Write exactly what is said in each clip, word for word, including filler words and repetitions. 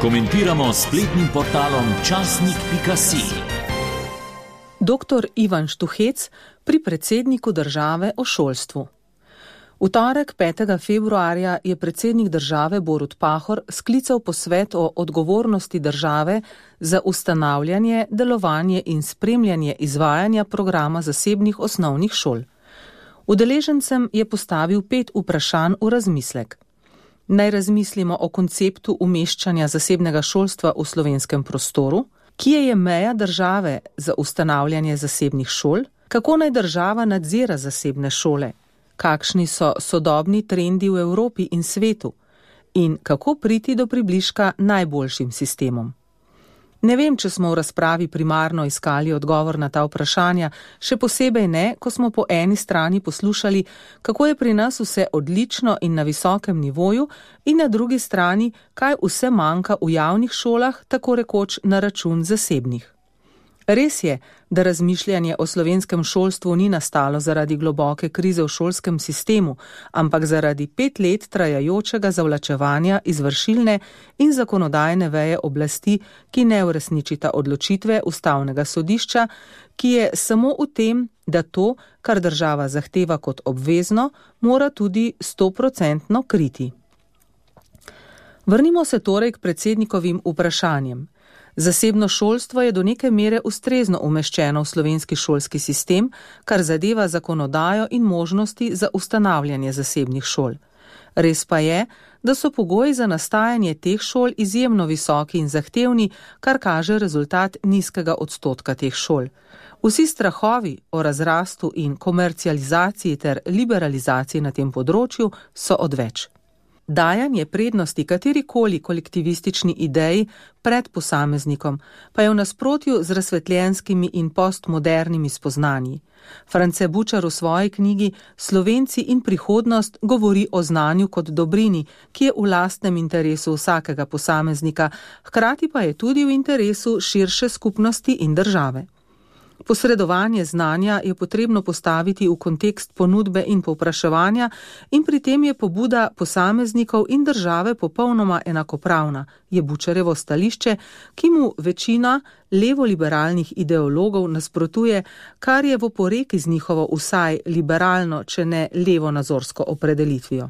Komentiramo s spletnim portalom časnik pika si. Doktor Ivan Štuhec pri predsedniku države o šolstvu. V torek petega februarja je predsednik države Borut Pahor sklical posvet o odgovornosti države za ustanavljanje, delovanje in spremljanje izvajanja programa zasebnih osnovnih šol. Udeležencem je postavil pet vprašanj v razmislek. Naj razmislimo o konceptu umeščanja zasebnega šolstva v slovenskem prostoru, kje je meja države za ustanavljanje zasebnih šol, kako naj država nadzira zasebne šole, kakšni so sodobni trendi v Evropi in svetu in kako priti do približka najboljšim sistemom. Ne vem, če smo v razpravi primarno iskali odgovor na ta vprašanja, še posebej ne, ko smo po eni strani poslušali, kako je pri nas vse odlično in na visokem nivoju, in na drugi strani, kaj vse manjka v javnih šolah, tako rekoč na račun zasebnih. Res je, da razmišljanje o slovenskem šolstvu ni nastalo zaradi globoke krize v šolskem sistemu, ampak zaradi pet let trajajočega zavlačevanja izvršilne in zakonodajne veje oblasti, ki ne uresničita odločitve ustavnega sodišča, ki je samo v tem, da to, kar država zahteva kot obvezno, mora tudi stoprocentno kriti. Vrnimo se torej k predsednikovim vprašanjem. Zasebno šolstvo je do neke mere ustrezno umeščeno v slovenski šolski sistem, kar zadeva zakonodajo in možnosti za ustanavljanje zasebnih šol. Res pa je, da so pogoji za nastajanje teh šol izjemno visoki in zahtevni, kar kaže rezultat nizkega odstotka teh šol. Vsi strahovi o razrastu in komercializaciji ter liberalizaciji na tem področju so odveč. Dajanje prednosti katerikoli kolektivistični ideji pred posameznikom pa je v nasprotju z razsvetljenskimi in postmodernimi spoznanji. France Bučar v svoji knjigi Slovenci in prihodnost govori o znanju kot dobrini, ki je v lastnem interesu vsakega posameznika, hkrati pa je tudi v interesu širše skupnosti in države. Posredovanje znanja je potrebno postaviti v kontekst ponudbe in povpraševanja in pri tem je pobuda posameznikov in države popolnoma enakopravna, je Bučarjevo stališče, ki mu večina levoliberalnih ideologov nasprotuje, kar je v oporeki z njihovo vsaj liberalno, če ne levonazorsko opredelitvijo.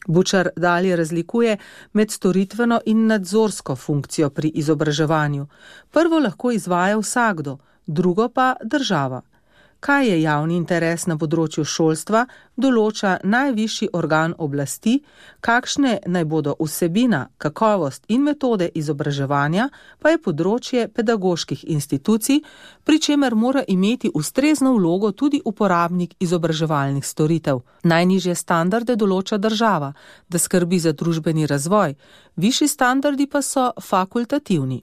Bučar dalje razlikuje med storitveno in nadzorsko funkcijo pri izobraževanju. Prvo lahko izvaja vsakdo, drugo pa država. Kaj je javni interes na področju šolstva, določa najvišji organ oblasti, kakšne naj bodo vsebina, kakovost in metode izobraževanja, pa je področje pedagoških institucij, pri čemer mora imeti ustrezno vlogo tudi uporabnik izobraževalnih storitev. Najnižje standarde določa država, da skrbi za družbeni razvoj, višji standardi pa so fakultativni.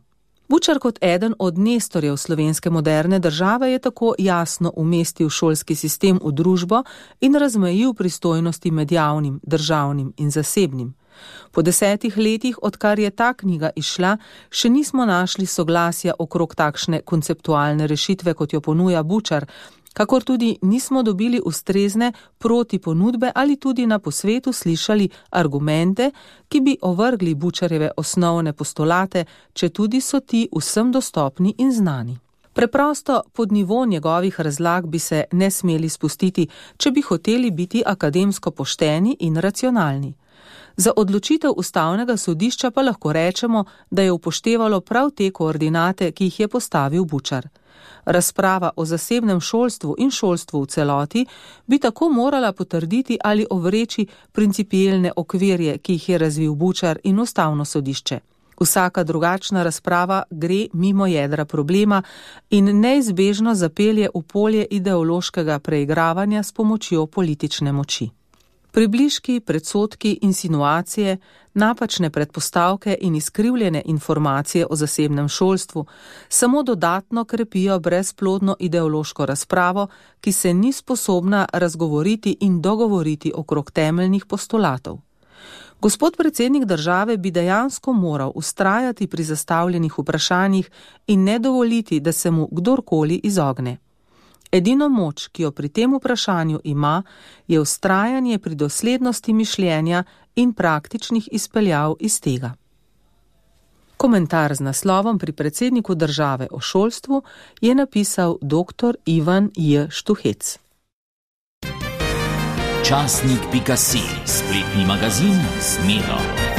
Bučar kot eden od nestorjev slovenske moderne države je tako jasno umestil šolski sistem v družbo in razmejil pristojnosti med javnim, državnim in zasebnim. Po desetih letih, odkar je ta knjiga izšla, še nismo našli soglasja okrog takšne konceptualne rešitve, kot jo ponuja Bučar, kakor tudi nismo dobili ustrezne protiponudbe ali tudi na posvetu slišali argumente, ki bi ovrgli Bučarjeve osnovne postulate, če tudi so ti vsem dostopni in znani. Preprosto pod nivo njegovih razlag bi se ne smeli spustiti, če bi hoteli biti akademsko pošteni in racionalni. Za odločitev ustavnega sodišča pa lahko rečemo, da je upoštevalo prav te koordinate, ki jih je postavil Bučar. Razprava o zasebnem šolstvu in šolstvu v celoti bi tako morala potrditi ali ovreči principielne okvirje, ki jih je razvil Bučar in ustavno sodišče. Vsaka drugačna razprava gre mimo jedra problema in neizbežno zapelje v polje ideološkega preigravanja s pomočjo politične moči. Približki, predsodki, insinuacije, napačne predpostavke in izkrivljene informacije o zasebnem šolstvu samo dodatno krepijo brezplodno ideološko razpravo, ki se ni sposobna razgovoriti in dogovoriti okrog temeljnih postulatov. Gospod predsednik države bi dejansko moral vztrajati pri zastavljenih vprašanjih in ne dovoliti, da se mu kdorkoli izogne. Edino moč, ki jo pri tem vprašanju ima, je vztrajanje pri doslednosti mišljenja in praktičnih izpeljav iz tega. Komentar z naslovom Pri predsedniku države o šolstvu je napisal dr. Ivan J. Štuhec. Časnik pika si, spletni magazin Zmedo.